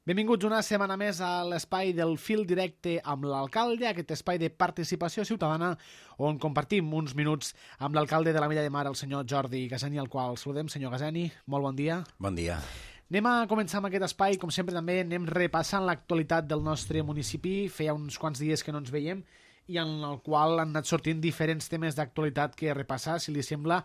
Benvinguts una setmana més a l'espai del fil directe amb l'alcalde, aquest espai de participació ciutadana on compartim uns minuts amb l'alcalde de l'Ametlla de Mar, el senyor Jordi Gaseni, al qual saludem. Senyor Gaseni, molt bon dia. Bon dia. Anem a començar amb aquest espai, com sempre també anem repassant l'actualitat del nostre municipi. Feia uns quants dies que no ens veiem i en el qual han anat sortint diferents temes d'actualitat que repassar, si li sembla.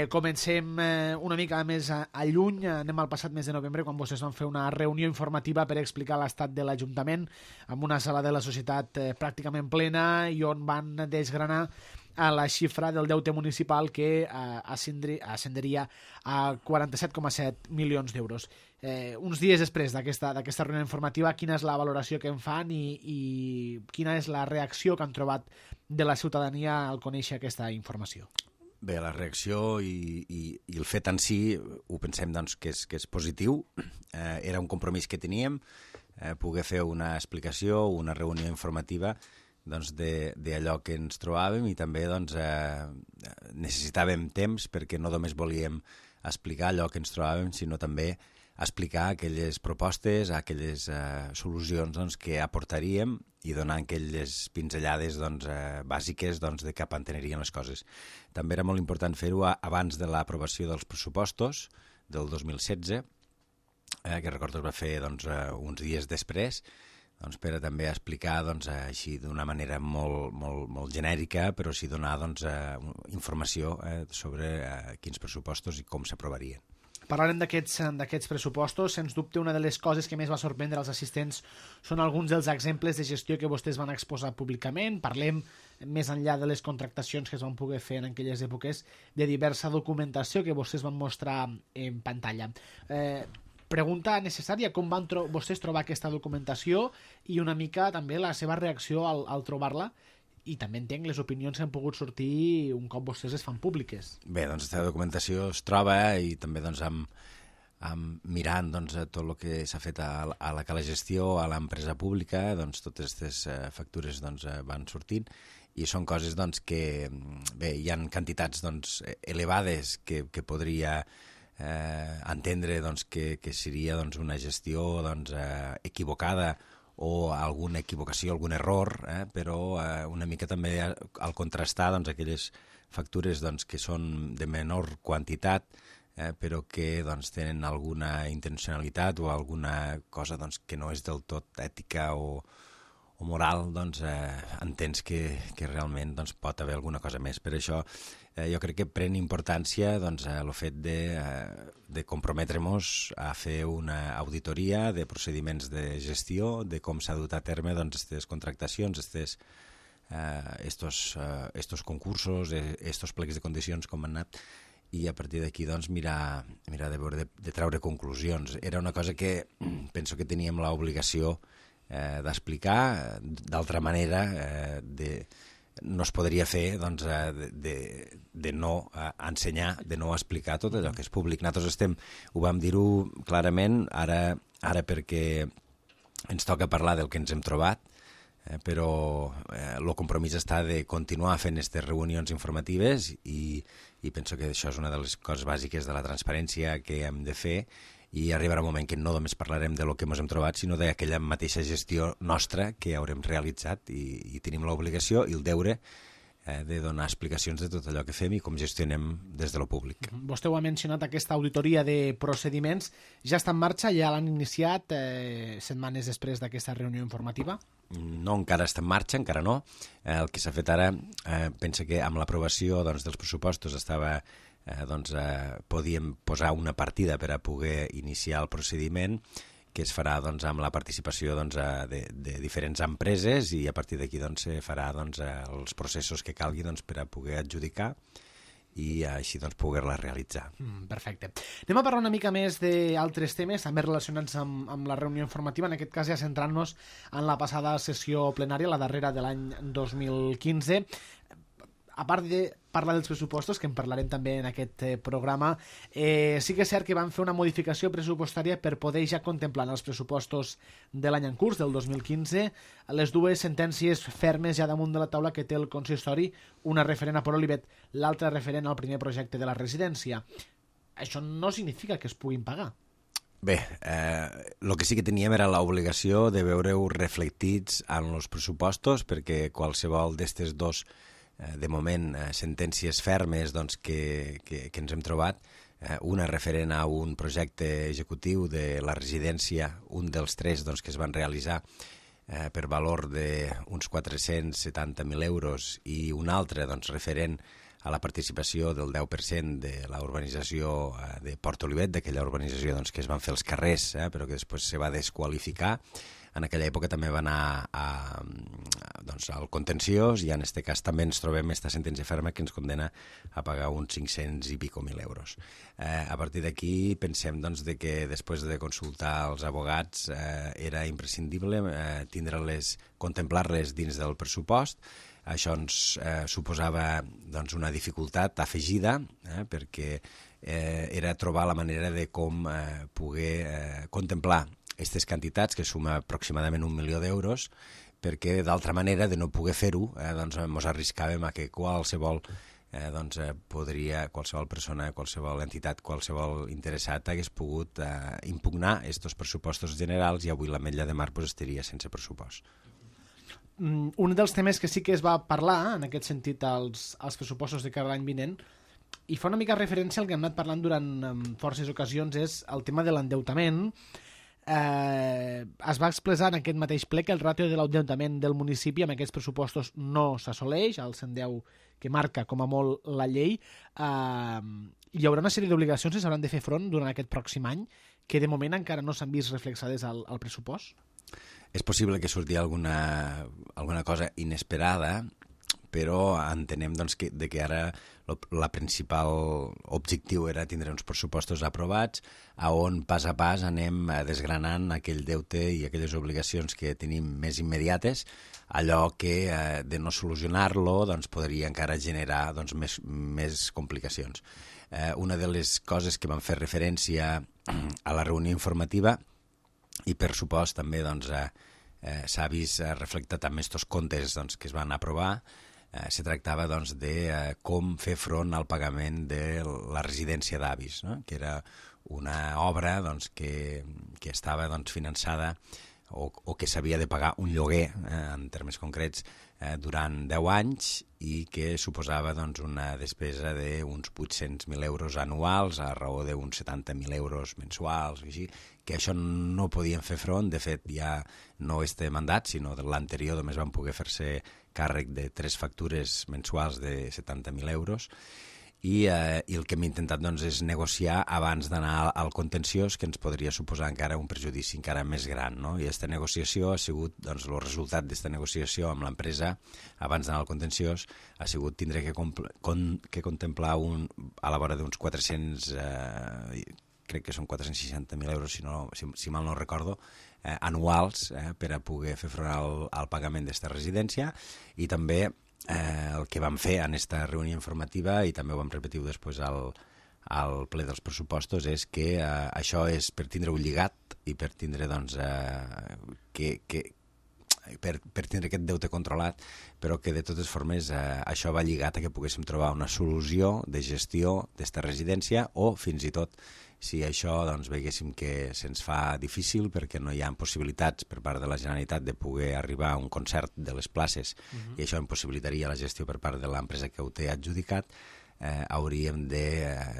Comencem una mica més a lluny, anem al passat mes de novembre, quan vostès van fer una reunió informativa per explicar l'estat de l'Ajuntament amb una sala de la societat pràcticament plena i on van desgranar a la xifra del deute municipal que ascenderia a 47,7 milions d'euros. Uns dies després d'aquesta reunió informativa, quina és la valoració que en fan i quina és la reacció que han trobat de la ciutadania al conèixer aquesta informació? Bé, la reacció i el fet en si ho pensem doncs, que és positiu. Era un compromís que teníem, poder fer una explicació, una reunió informativa doncs, d'allò que ens trobàvem i també doncs, necessitàvem temps perquè no només volíem explicar allò que ens trobàvem, sinó també explicar aquelles propostes, aquelles solucions doncs, que aportaríem i donar aquelles pinzellades doncs, bàsiques doncs, de cap on anirien les coses. També era molt important fer-ho abans de l'aprovació dels pressupostos del 2016, que recordo es va fer doncs, uns dies després, doncs, per a també explicar doncs, així d'una manera molt genèrica, però sí donar doncs, informació sobre quins pressupostos i com s'aprovarien. Parlarem d'aquests pressupostos. Sens dubte, una de les coses que més va sorprendre als assistents són alguns dels exemples de gestió que vostès van exposar públicament. Parlem, més enllà de les contractacions que es van poder fer en aquelles èpoques, de diversa documentació que vostès van mostrar en pantalla. Pregunta necessària, com van vostès trobar aquesta documentació i una mica també la seva reacció al trobar-la? I també entenc les opinions que han pogut sortir un cop vostès es fan públiques. Bé, doncs aquesta documentació es troba i també doncs, mirant doncs, tot el que s'ha fet a la gestió, a l'empresa pública, doncs, totes aquestes factures doncs, van sortint i són coses doncs, que bé, hi ha quantitats doncs, elevades que podria entendre doncs, que seria doncs, una gestió doncs, equivocada o alguna equivocació, algun error, però una mica també al contrastar doncs, aquelles factures doncs, que són de menor quantitat, però que doncs, tenen alguna intencionalitat o alguna cosa doncs, que no és del tot ètica o moral, doncs, entens que realment doncs, pot haver alguna cosa més. Per això jo crec que pren importància doncs, el fet de comprometre-nos a fer una auditoria de procediments de gestió, de com s'ha dut a terme aquestes contractacions, estos concursos, estos plecs de condicions com han anat, i a partir d'aquí doncs, mirar de treure conclusions. Era una cosa que penso que teníem l'obligació d'explicar, d'altra manera no es podria fer doncs, de no ensenyar, de no explicar tot allò que és públic. Nosaltres ho vam dir-ho clarament ara perquè ens toca parlar del que ens hem trobat, però el compromís està de continuar fent aquestes reunions informatives i penso que això és una de les coses bàsiques de la transparència que hem de fer i arribarà un moment que no només parlarem de lo que ens hem trobat, sinó d'aquella mateixa gestió nostra que haurem realitzat i tenim l'obligació i el deure de donar explicacions de tot allò que fem i com gestionem des de lo públic. Vostè ho ha mencionat, aquesta auditoria de procediments ja està en marxa, ja l'han iniciat setmanes després d'aquesta reunió informativa? No, encara està en marxa, encara no. El que s'ha fet ara, pensa que amb l'aprovació doncs, dels pressupostos podíem posar una partida per a poder iniciar el procediment que es farà doncs, amb la participació doncs, de diferents empreses i a partir d'aquí doncs, se farà doncs, els processos que calgui doncs, per a poder adjudicar i així doncs, poder-la realitzar. Perfecte. Anem a parlar una mica més d'altres temes, també relacionats amb la reunió informativa, en aquest cas ja centrant-nos en la passada sessió plenària, la darrera de l'any 2015. A part de parlar dels pressupostos, que en parlarem també en aquest programa, sí que és cert que van fer una modificació pressupostària per poder ja contemplar en els pressupostos de l'any en curs, del 2015, les dues sentències fermes ja damunt de la taula que té el consistori, una referent a Port Olivet, l'altra referent al primer projecte de la residència. Això no significa que es puguin pagar. Bé, el que sí que teníem era l'obligació de veure-ho reflectits en els pressupostos, perquè qualsevol d'estes dos, de moment, sentències fermes doncs, que ens hem trobat, una referent a un projecte executiu de la residència, un dels tres doncs, que es van realitzar per valor d'uns 470.000 euros i un altre doncs, referent a la participació del 10% de la urbanització de Port Olivet, d'aquella urbanització doncs, que es van fer els carrers, però que després se va desqualificar. En aquella època també va anar doncs, al contenciós i en aquest cas també ens trobem aquesta sentència ferma que ens condena a pagar uns 500 i pico mil euros. A partir d'aquí pensem doncs, de que després de consultar els abogats era imprescindible contemplar-les dins del pressupost. Això ens suposava doncs, una dificultat afegida perquè era trobar la manera de com poder contemplar aquestes quantitats, que suma aproximadament 1 milió d'euros, perquè d'altra manera de no poder fer-ho doncs ens arriscàvem a que qualsevol persona, qualsevol entitat, qualsevol interessat hagués pogut impugnar aquests pressupostos generals i avui l'Ametlla de Mar estaria sense pressupost. Un dels temes que sí que es va parlar, en aquest sentit, als pressupostos de cada any vinent, i fa una mica referència al que hem anat parlant durant forces ocasions, és el tema de l'endeutament. Es va expressar en aquest mateix ple que el ràtio de l'endeutament del municipi amb aquests pressupostos no s'assoleix, el 110 que marca com a molt la llei. Hi haurà una sèrie d'obligacions que s'hauran de fer front durant aquest pròxim any que de moment encara no s'han vist reflexades al pressupost. És possible que surti alguna cosa inesperada, però entenem doncs, que ara la principal objectiu era tindre uns pressupostos aprovats on pas a pas anem desgranant aquell deute i aquelles obligacions que tenim més immediates, allò que de no solucionar-lo doncs, podria encara generar doncs, més complicacions. Una de les coses que vam fer referència a la reunió informativa i per supost també doncs, s'ha vist reflectat amb aquests comptes doncs, que es van aprovar. Se tractava doncs, de com fer front al pagament de la residència d'avis, no? Que era una obra doncs, que estava doncs, finançada o que s'havia de pagar un lloguer, en termes concrets, durant 10 anys i que suposava doncs, una despesa d'uns 800.000 euros anuals a raó d'uns 70.000 euros mensuals, així, que això no podien fer front. De fet, ja no este mandat, sinó de l'anterior només van poder fer-se càrrec de 3 factures mensuals de 70.000 euros i el que hem intentat doncs, és negociar abans d'anar al contenciós, que ens podria suposar encara un perjudici encara més gran, no? I aquesta negociació ha sigut, doncs, el resultat d'aquesta negociació amb l'empresa abans d'anar al contenciós ha sigut tindre que contemplar a la vora d'uns 400, crec que són 460.000 euros, si mal no recordo, anuals per a poder fer front al pagament d'aquesta residència i també el que vam fer en aquesta reunió informativa i també ho vam repetir després al ple dels pressupostos és que això és per tindre-ho lligat i per tindre doncs, per tindre aquest deute controlat, però que de totes formes això va lligat a que poguéssim trobar una solució de gestió d'esta residència o fins i tot si això doncs, veiéssim que se'ns fa difícil perquè no hi ha possibilitats per part de la Generalitat de poder arribar a un concert de les places i això impossibilitaria la gestió per part de l'empresa que ho té adjudicat, hauríem de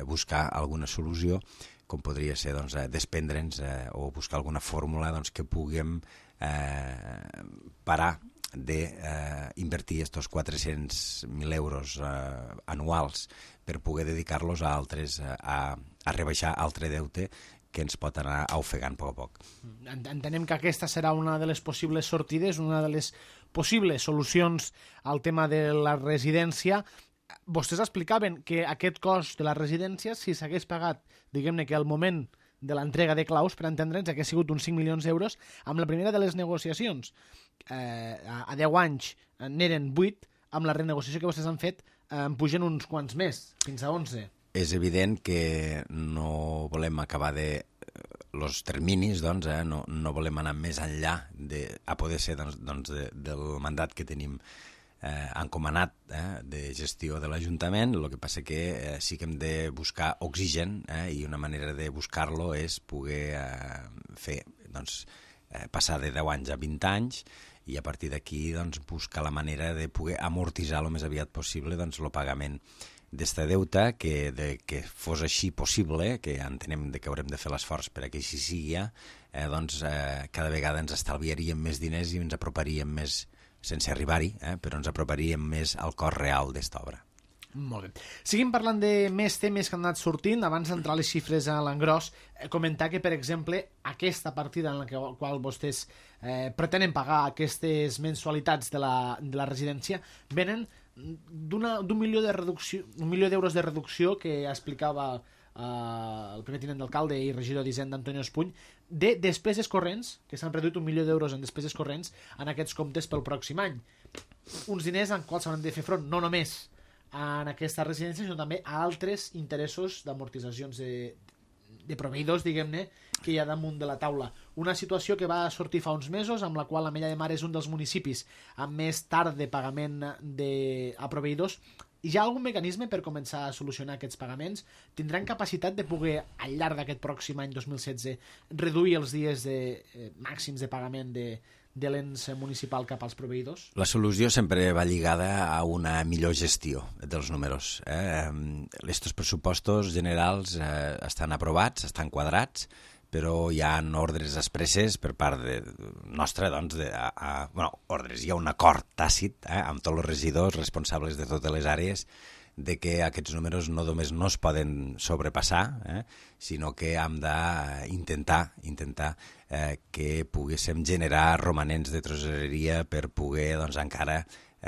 buscar alguna solució com podria ser doncs, desprendre'ns o buscar alguna fórmula doncs, que puguem parar d'invertir aquests 400.000 euros anuals per poder dedicar-los a altres, a rebaixar altre deute que ens pot anar ofegant a poc a poc. Entenem que aquesta serà una de les possibles sortides, una de les possibles solucions al tema de la residència. Vostès explicaven que aquest cost de la residència, si s'hagués pagat, diguem-ne que al moment de l'entrega de claus, per entendre'ns, hagués sigut uns 5 milions d'euros. Amb la primera de les negociacions, a 10 anys n'eren 8, amb la renegociació que vostès han fet en pugen uns quants més, fins a 11. És evident que no volem acabar els terminis, doncs, no volem anar més enllà a poder ser del mandat que tenim encomanat de gestió de l'Ajuntament. El que passa que sí que hem de buscar oxigen i una manera de buscar-lo és poder fer, doncs, passar de 10 anys a 20 anys i a partir d'aquí doncs, buscar la manera de poder amortitzar el més aviat possible doncs, el pagament d'este deute, que fos així possible, que entenem que haurem de fer l'esforç per a que així sigui, doncs cada vegada ens estalviaríem més diners i ens aproparíem més, sense arribar-hi, però ens aproparíem més al cost real d'esta obra. Molt bé. Seguim parlant de més temes que han anat sortint. Abans d'entrar les xifres a l'engròs, comentar que, per exemple, aquesta partida en la qual vostès pretenen pagar aquestes mensualitats de la residència venen d'un milió de reducció, $1 milió de reducció que explicava el primer tinent d'alcalde i regidor d'Hisenda Antonio Espuny, de despeses corrents, que s'han reduït $1 milió en despeses corrents en aquests comptes pel pròxim any. Uns diners en quals s'hauran de fer front no només en aquesta residència, sinó també a altres interessos d'amortitzacions de proveïdors, diguem-ne, que hi ha damunt de la taula. Una situació que va sortir fa uns mesos, amb la qual l'Ametlla de Mar és un dels municipis amb més tard de pagament a proveïdors. Hi ha algun mecanisme per començar a solucionar aquests pagaments? Tindran capacitat de poder, al llarg d'aquest pròxim any 2016, reduir els dies màxims de pagament de l'ens municipal cap als proveïdors? La solució sempre va lligada a una millor gestió dels números. Estos pressupostos generals estan aprovats, estan quadrats, però hi ha ordres expresses per part nostra, doncs, ordres, hi ha un acord tàcit amb tots els regidors responsables de totes les àrees de que aquests números no només no es poden sobrepassar, sinó que hem d'intentar que poguéssim generar romanents de tresoreria per poder doncs, encara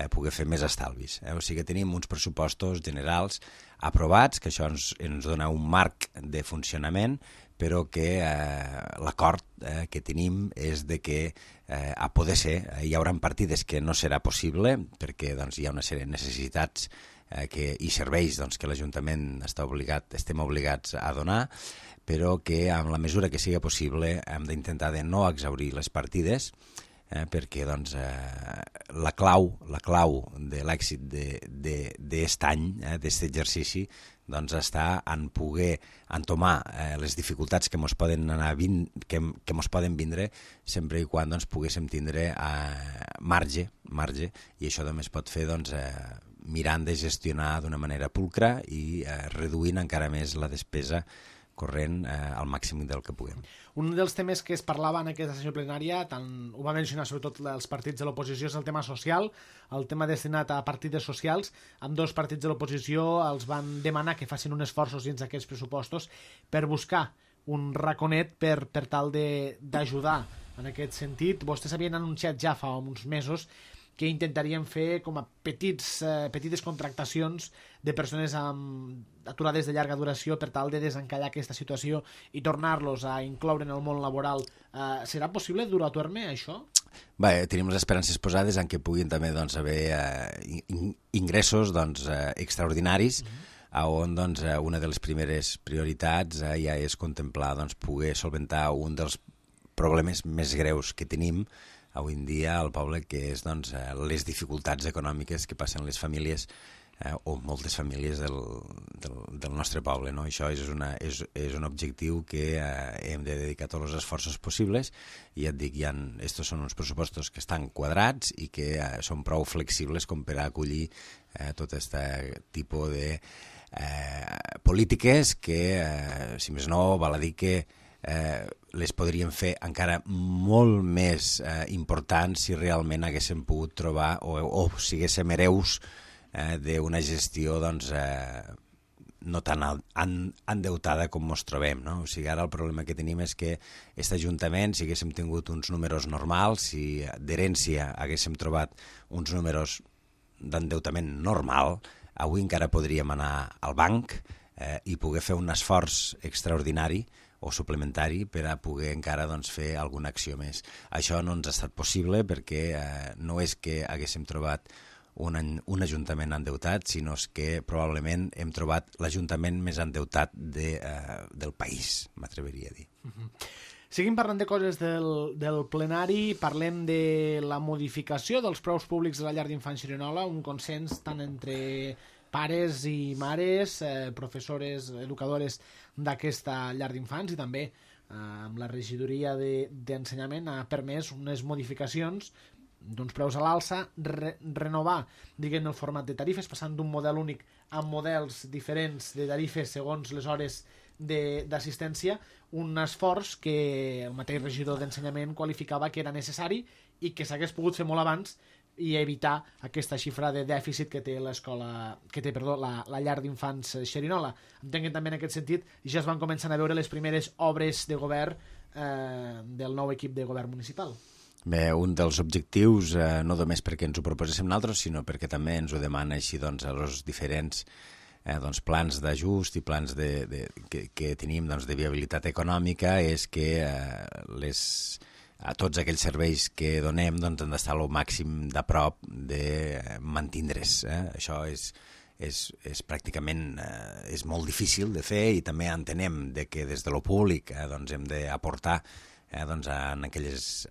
poder fer més estalvis. O sigui que tenim uns pressupostos generals aprovats, que això ens dona un marc de funcionament, però que l'acord que tenim és de que a poder ser hi haurà partides que no serà possible perquè doncs, hi ha una sèrie de necessitats i serveis doncs, que l'Ajuntament estem obligats a donar, però que en la mesura que sigui possible hem d'intentar de no exhaurir les partides perquè doncs, la clau de l'èxit d'aquest any, d'aquest exercici, doncs està en poder entomar les dificultats que mos poden vindre sempre i quan doncs, poguéssim tindre marge, i això també es pot fer doncs, mirant de gestionar d'una manera pulcra i reduint encara més la despesa corrent al màxim del que puguem. Un dels temes que es parlava en aquesta sessió plenària, ho va mencionar sobretot els partits de l'oposició, és el tema social, el tema destinat a partides socials. Amb dos partits de l'oposició els van demanar que facin un esforços dins d'aquests pressupostos per buscar un raconet per tal d'ajudar en aquest sentit. Vostès havien anunciat ja fa uns mesos que intentarien fer com a petites contractacions de persones aturades de llarga duració per tal de desencallar aquesta situació i tornar-los a incloure en el món laboral. Serà possible dur a terme això? Bé, tenim les esperances posades en que puguin també doncs, haver ingressos doncs, extraordinaris, on doncs, una de les primeres prioritats ja és contemplar doncs, poder solventar un dels problemes més greus que tenim avui en dia al poble, que és doncs, les dificultats econòmiques que passen les famílies o moltes famílies del nostre poble. No? Això és un objectiu que hem de dedicar tots els esforços possibles i ja et dic, estos són uns pressupostos que estan quadrats i que són prou flexibles com per a acollir tot aquest tipus de polítiques que, si més no, val a dir que les podríem fer encara molt més importants si realment haguéssim pogut trobar o siguéssim hereus d'una gestió doncs, no tan endeutada com ens trobem. No? O sigui, ara el problema que tenim és que aquest Ajuntament, si haguéssim tingut uns números normals, si d'herència haguéssim trobat uns números d'endeutament normal, avui encara podríem anar al banc i poder fer un esforç extraordinari o suplementari per a poder encara doncs, fer alguna acció més. Això no ens ha estat possible perquè no és que haguéssim trobat un ajuntament endeutat, sinó que probablement hem trobat l'ajuntament més endeutat del país, m'atreviria a dir. Seguim parlant de coses del plenari, parlem de la modificació dels preus públics de la llar d'infants Xerinola, un consens tant entre pares i mares, professores, educadores d'aquesta llar d'infants, i també amb la regidoria d'ensenyament ha permès unes modificacions d'uns preus a l'alça, renovar, diguem, el format de tarifes, passant d'un model únic a models diferents de tarifes segons les hores d'assistència, un esforç que el mateix regidor d'ensenyament qualificava que era necessari i que s'hagués pogut fer molt abans i evitar aquesta xifra de dèficit que té la llar d'infants Xerinola. Entenc que també en aquest sentit ja es van començar a veure les primeres obres de govern del nou equip de govern municipal. Bé, un dels objectius, no només perquè ens ho proposéssim nosaltres, sinó perquè també ens ho demana així doncs, a els diferents plans d'ajust i plans que tenim de viabilitat econòmica, és que a tots aquells serveis que donem han d'estar al màxim de prop de mantindre's. Això és pràcticament és molt difícil de fer, i també entenem que des de lo públic hem d'aportar en aquells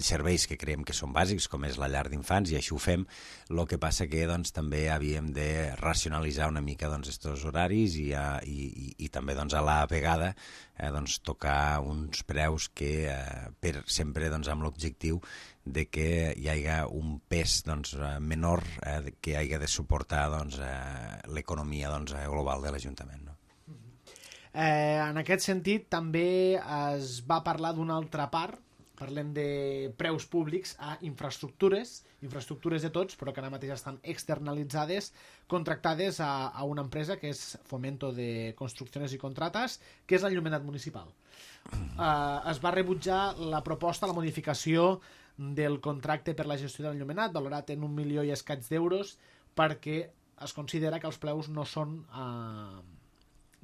serveis que creiem que són bàsics, com és la llar d'infants, i així ho fem. El que passa que també havíem de racionalitzar una mica aquests horaris i també a la vegada tocar uns preus que sempre amb l'objectiu de que hi hagi un pes menor que hagi de suportar l'economia global de l'Ajuntament. En aquest sentit també es va parlar d'una altra part, parlem de preus públics a infraestructures de tots, però que ara mateix estan externalitzades, contractades a una empresa que és Fomento de Construcciones y Contratas, que és l'enllumenat municipal. Es va rebutjar la proposta, la modificació del contracte per la gestió de l'enllumenat, valorat en 1 milió i escaig d'euros, perquè es considera que els preus no són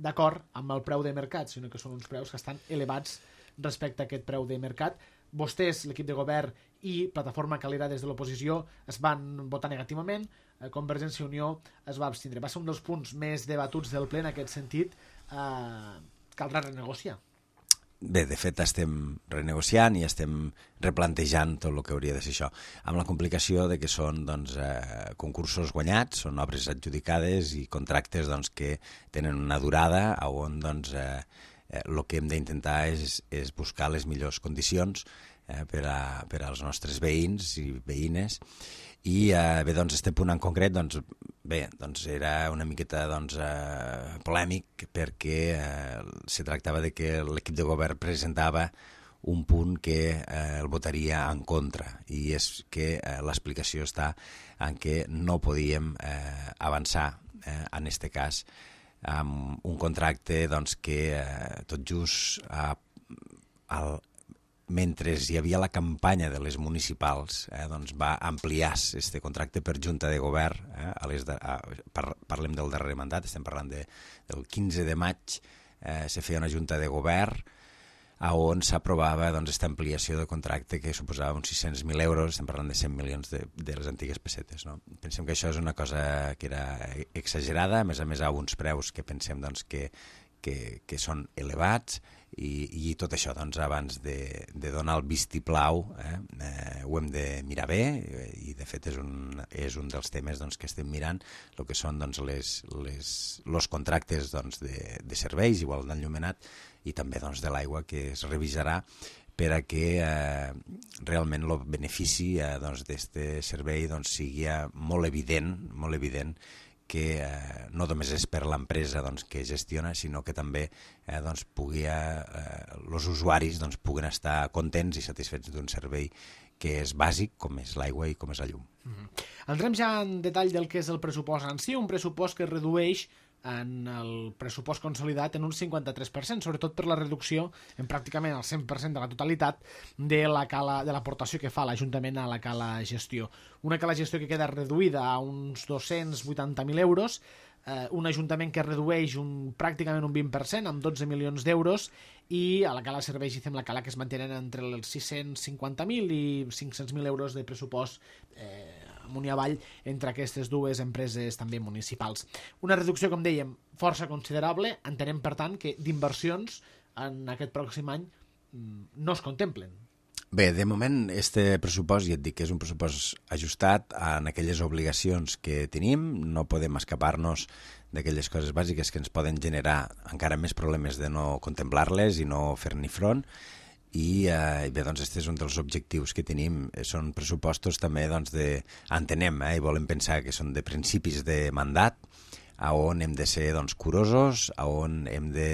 d'acord amb el preu de mercat, sinó que són uns preus que estan elevats respecte a aquest preu de mercat. Vostès, l'equip de govern i Plataforma Calera des de l'oposició es van votar negativament, Convergència i Unió es va abstindre. Va ser un dels punts més debatuts del ple en aquest sentit. Caldrà renegociar. Bé, de fet estem renegociant i estem replantejant tot el que hauria de ser això, amb la complicació de que són concursos guanyats, són obres adjudicades i contractes que tenen una durada on el que hem d'intentar és buscar les millors condicions per als nostres veïns i veïnes. I bé, este punt en concret era una miqueta polèmic, perquè se tractava de que l'equip de govern presentava un punt que el votaria en contra, i és que l'explicació està en que no podíem avançar en aquest cas amb un contracte que tot just mentre hi havia la campanya de les municipals, va ampliar aquest contracte per junta de govern. Parlem del darrer mandat, estem parlant del 15 de maig, se feia una junta de govern on s'aprovava aquesta ampliació de contracte que suposava uns 600.000 euros, estem parlant de 100 milions de les antigues pessetes. Pensem que això és una cosa que era exagerada, a més a uns preus que pensem que són elevats, i tot això abans de donar el vistiplau ho hem de mirar bé, i de fet és un dels temes que estem mirant, el que són els contractes de serveis, igual d'enllumenat, i també de l'aigua, que es revisarà per a que realment el benefici d'aquest servei sigui molt evident, que no només és per l'empresa que gestiona, sinó que també els usuaris puguen estar contents i satisfets d'un servei que és bàsic, com és l'aigua i com és la llum. Entrem ja en detall del que és el pressupost en si, un pressupost que es redueix en el pressupost consolidat en un 53%, sobretot per la reducció en pràcticament el 100% de la totalitat de l'aportació que fa l'Ajuntament a la cala gestió. Una cala gestió que queda reduïda a uns 280.000 euros, un Ajuntament que redueix pràcticament un 20%, amb 12 milions d'euros, i a la cala serveis i fem la cala que es mantenen entre els 650.000 i 500.000 euros de pressupost amunt i avall entre aquestes dues empreses també municipals. Una reducció, com dèiem, força considerable. Entenem, per tant, que d'inversions en aquest pròxim any no es contemplen. Bé, de moment, este pressupost, ja et dic que és un pressupost ajustat en aquelles obligacions que tenim, no podem escapar-nos d'aquelles coses bàsiques que ens poden generar encara més problemes de no contemplar-les i no fer-n'hi front, i bé, doncs, este és un dels objectius que tenim. Són pressupostos també, doncs, entenem, i volem pensar que són de principis de mandat, on hem de ser, doncs, curosos, on hem de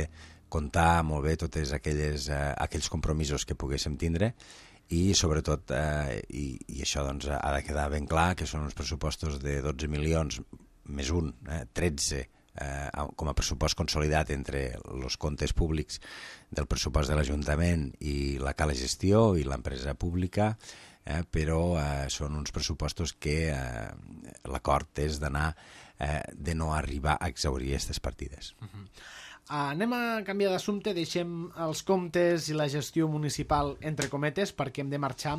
comptar molt bé tots aquells compromisos que poguéssim tindre, i sobretot, i això doncs, ha de quedar ben clar, que són uns pressupostos de 12 milions més 13 com a pressupost consolidat entre els comptes públics del pressupost de l'Ajuntament i la Cala Gestió i l'empresa pública, però són uns pressupostos que l'acord és de no arribar a exhaurir aquestes partides. Anem a canviar d'assumpte, deixem els comptes i la gestió municipal entre cometes perquè hem de marxar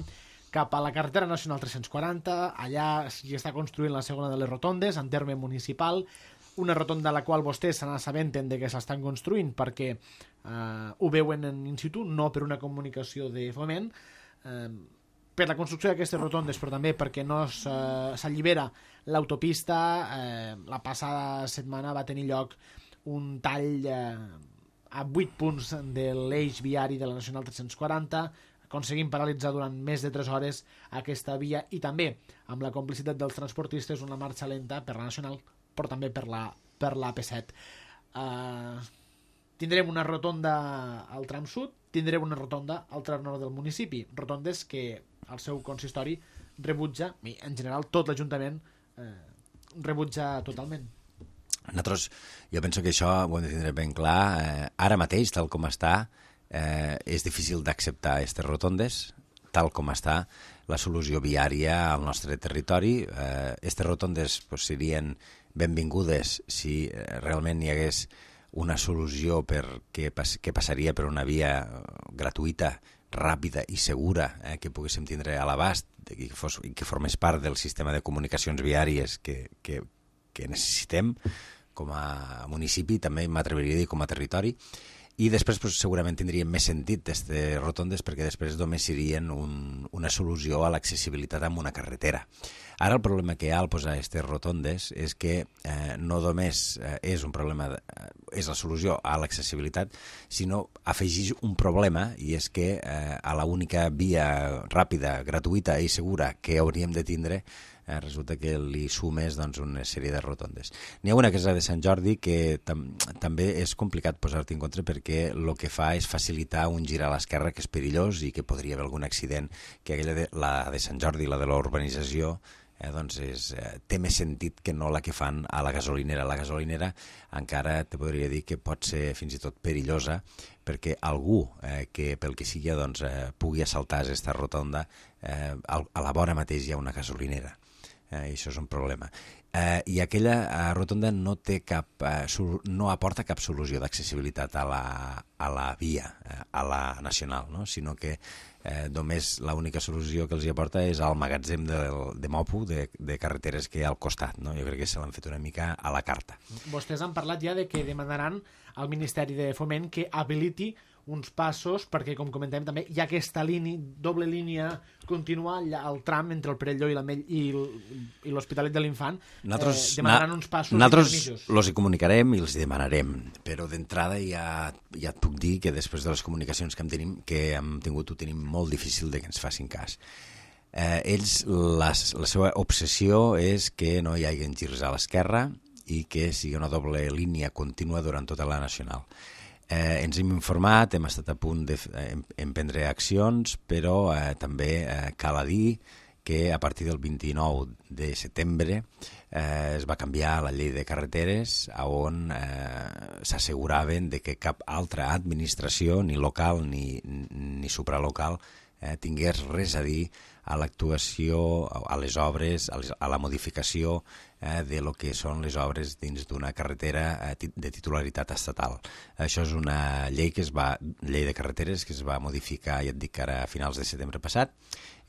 cap a la carretera nacional 340. Allà s'hi està construint la segona de les rotondes en terme municipal, una rotonda a la qual vostès se n'assabenten de que s'estan construint perquè ho veuen in situ, no per una comunicació de Foment, per la construcció d'aquestes rotondes, però també perquè no s'allibera l'autopista. La passada setmana va tenir lloc un tall a 8 punts de l'eix viari de la Nacional 340, aconseguint paralitzar durant més de 3 hores aquesta via, i també amb la complicitat dels transportistes una marxa lenta per la Nacional, però també per la AP7. Tindrem una rotonda al tram sud, tindrem una rotonda al tram nord del municipi, rotondes que el seu consistori rebutja, i en general tot l'Ajuntament rebutja totalment. Nosaltres, jo penso que això ho hem de tindre ben clar. Ara mateix, tal com està, és difícil d'acceptar aquestes rotondes, tal com està la solució viària al nostre territori. Aquestes rotondes serien benvingudes si realment hi hagués una solució que passaria per una via gratuïta, ràpida i segura, que poguéssim tindre a l'abast i que formés part del sistema de comunicacions viàries que necessitem com a municipi, també m'atreviria a dir com a territori, i després segurament tindrien més sentit aquestes rotondes perquè després només serien una solució a l'accessibilitat amb una carretera. Ara el problema que hi ha al posar aquestes rotondes és que no només és un problema, és la solució a l'accessibilitat, sinó afegeix un problema, i és que a l'única via ràpida, gratuïta i segura que hauríem de tindre resulta que li sumes una sèrie de rotondes. N'hi ha una que és la de Sant Jordi, que també és complicat posar-t'hi en contra perquè el que fa és facilitar un gir a l'esquerra que és perillós i que podria haver algun accident, que la de Sant Jordi, la de l'urbanització, té més sentit que no la que fan a la gasolinera. La gasolinera encara te podria dir que pot ser fins i tot perillosa perquè algú que pel que sigui pugui assaltar aquesta rotonda, a la vora mateix hi ha una gasolinera. I això és un problema. I aquella rotonda no aporta cap solució d'accessibilitat a la via, a la nacional, no? Sinó que només l'única solució que els hi aporta és el magatzem de Mopo, de carreteres que hi ha al costat, no? Jo crec que se l'han fet una mica a la carta. Vostès han parlat ja de que demanaran al Ministeri de Foment que habiliti uns passos, perquè, com comentem també, hi ha aquesta doble línia contínua al tram entre el Perelló i l'Hospitalet de l'Infant. Demanaran uns passos i permisos. Nosaltres els hi comunicarem i els hi demanarem, però d'entrada ja et puc dir que després de les comunicacions que hem tingut ho tenim molt difícil de que ens facin cas. Ells, la seva obsessió és que no hi hagi girs a l'esquerra i que sigui una doble línia contínua durant tota la nacional. Ens hem informat, hem estat a punt d'emprendre accions, però també cal dir que a partir del 29 de setembre es va canviar la llei de carreteres on s'asseguraven de que cap altra administració, ni local ni supralocal, tingués res a dir a l'actuació, a les obres, a la modificació de lo que són les obres dins d'una carretera de titularitat estatal. Això és una llei de carreteres que es va modificar, ja et dic, ara a finals de setembre passat,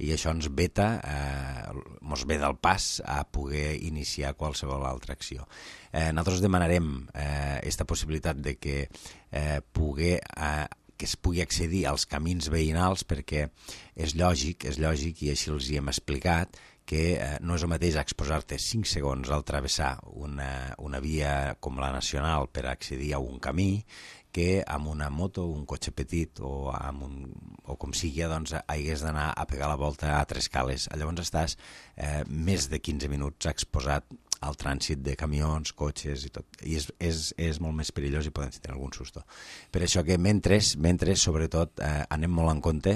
i això ens veta el pas a poder iniciar qualsevol altra acció. Nosaltres demanarem aquesta possibilitat de que poder que es pugui accedir als camins veïnals, perquè és lògic, i així els hi hem explicat, que no és el mateix exposar-te 5 segons al travessar una via com la nacional per accedir a un camí que amb una moto, un cotxe petit o com sigui, doncs hagués d'anar a pegar la volta a 3 cales. Llavors estàs més de 15 minuts exposat al trànsit de camions, cotxes i tot. I és molt més perillós i poden tenir algun susto. Per això que mentre sobretot, anem molt en compte,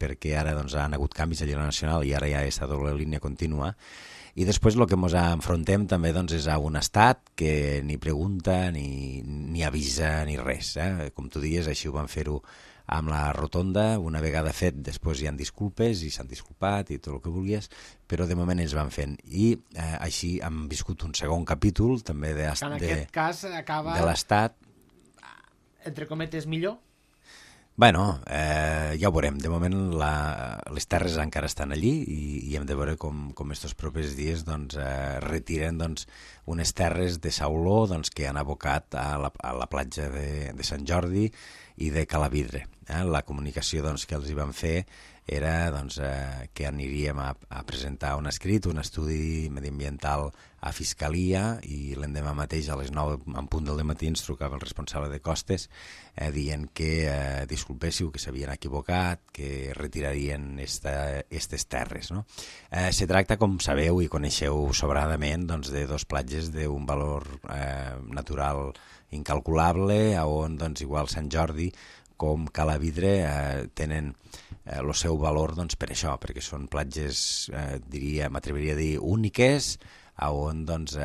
perquè ara doncs, han hagut canvis a la nacional i ara ja està doble línia contínua. I després el que ens enfrontem també doncs, és a un estat que ni pregunta, ni avisa, ni res. Com tu dius, així ho van fer-ho amb la rotonda, una vegada fet, després hi ha disculpes i s'han disculpat i tot el que vulguis, però de moment ells van fent. I així hem viscut un segon capítol també de l'Estat. Entre cometes, millor? Bueno, ja ho veurem. De moment les terres encara estan allí i hem de veure com estos propers dies doncs, retiren doncs, unes terres de sauló doncs, que han abocat a la platja de Sant Jordi i de Calavidre. La comunicació doncs, que els hi van fer era doncs, que aniríem a presentar un escrit, un estudi mediambiental a Fiscalia, i l'endemà mateix a les 9 en punt del matí ens trucava el responsable de costes dient que disculpéssiu, que s'havien equivocat, que retirarien aquestes terres. No? Se tracta, com sabeu i coneixeu sobradament, doncs, de 2 platges d'un valor natural incalculable, on doncs, igual Sant Jordi com Calavidre tenen el seu valor doncs, per això, perquè són platges, m'atreviria a dir, úniques, on doncs,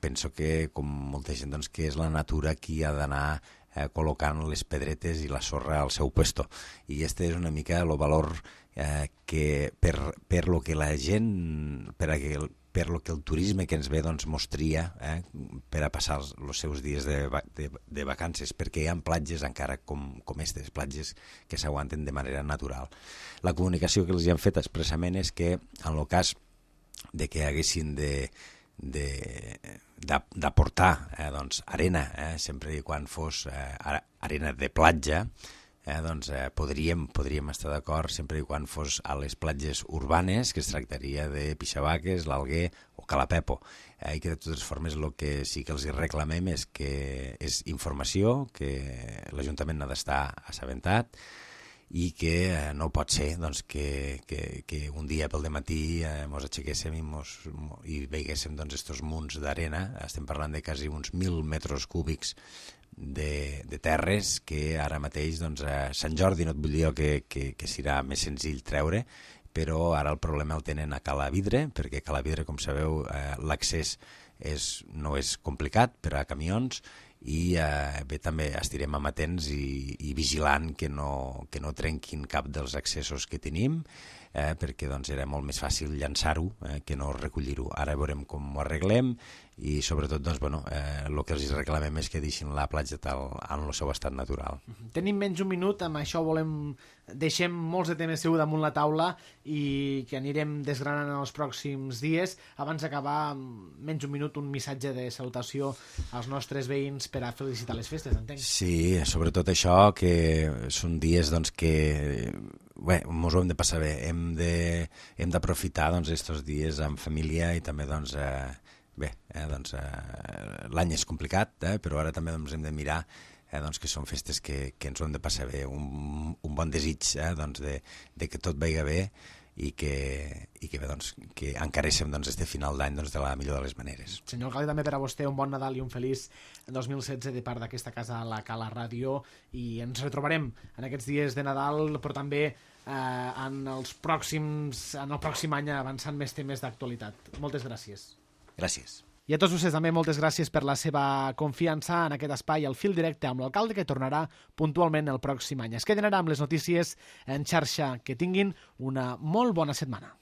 penso que, com molta gent, doncs, que és la natura qui ha d'anar col·locant les pedretes i la sorra al seu puesto. I este és una mica el valor que per lo que la gent, per lo que el turisme que ens ve doncs, mostria per a passar els seus dies de vacances, perquè hi ha platges encara com aquestes, platges que s'aguanten de manera natural. La comunicació que els hi han fet expressament és que en el cas de que haguessin d'aportar doncs, arena, sempre i quan fos arena de platja, doncs podríem estar d'acord sempre i quan fos a les platges urbanes, que es tractaria de Pixabaques, l'Alguer o Calapepo. I que de totes formes el que sí que els reclamem és que és informació, que l'Ajuntament n'ha d'estar assabentat i que no pot ser doncs, que un dia pel dematí ens aixequéssim i veiguéssim doncs, estos munts d'arena. Estem parlant de quasi uns 1.000 metres cúbics de terres que ara mateix doncs, a Sant Jordi no et vull dir que serà més senzill treure, però ara el problema el tenen a Calavidre, perquè a Calavidre, com sabeu, l'accés no és complicat per a camions, i bé, també estirem amatents i vigilant que no trenquin cap dels accessos que tenim, perquè doncs, era molt més fàcil llançar-ho que no recollir-ho. Ara veurem com ho arreglem i sobretot doncs, el que els reclamem és que deixin la platja tal en el seu estat natural. Tenim menys un minut, amb això deixem molts de temes segur damunt la taula i que anirem desgranant en els pròxims dies. Abans d'acabar, menys un minut, un missatge de salutació als nostres veïns per a felicitar les festes, entenc. Sí, sobretot això, que són dies doncs, que ens ho hem de passar bé, hem d'aprofitar aquests dies amb família i també doncs, l'any és complicat, però ara també doncs, hem de mirar que són festes que ens ho hem de passar bé, un bon desig de que tot vagi bé i que encareixem este final d'any de la millor de les maneres. Senyor alcalde, també per a vostè un bon Nadal i un feliç 2016 de part d'aquesta casa, la Cala Ràdio, i ens retrobarem en aquests dies de Nadal, però també en el pròxim any avançant més temes d'actualitat. Moltes gràcies. Gràcies. I a tots vostès també moltes gràcies per la seva confiança en aquest espai, el fil directe amb l'alcalde, que tornarà puntualment el pròxim any. Es queden ara amb les notícies en xarxa. Que tinguin una molt bona setmana.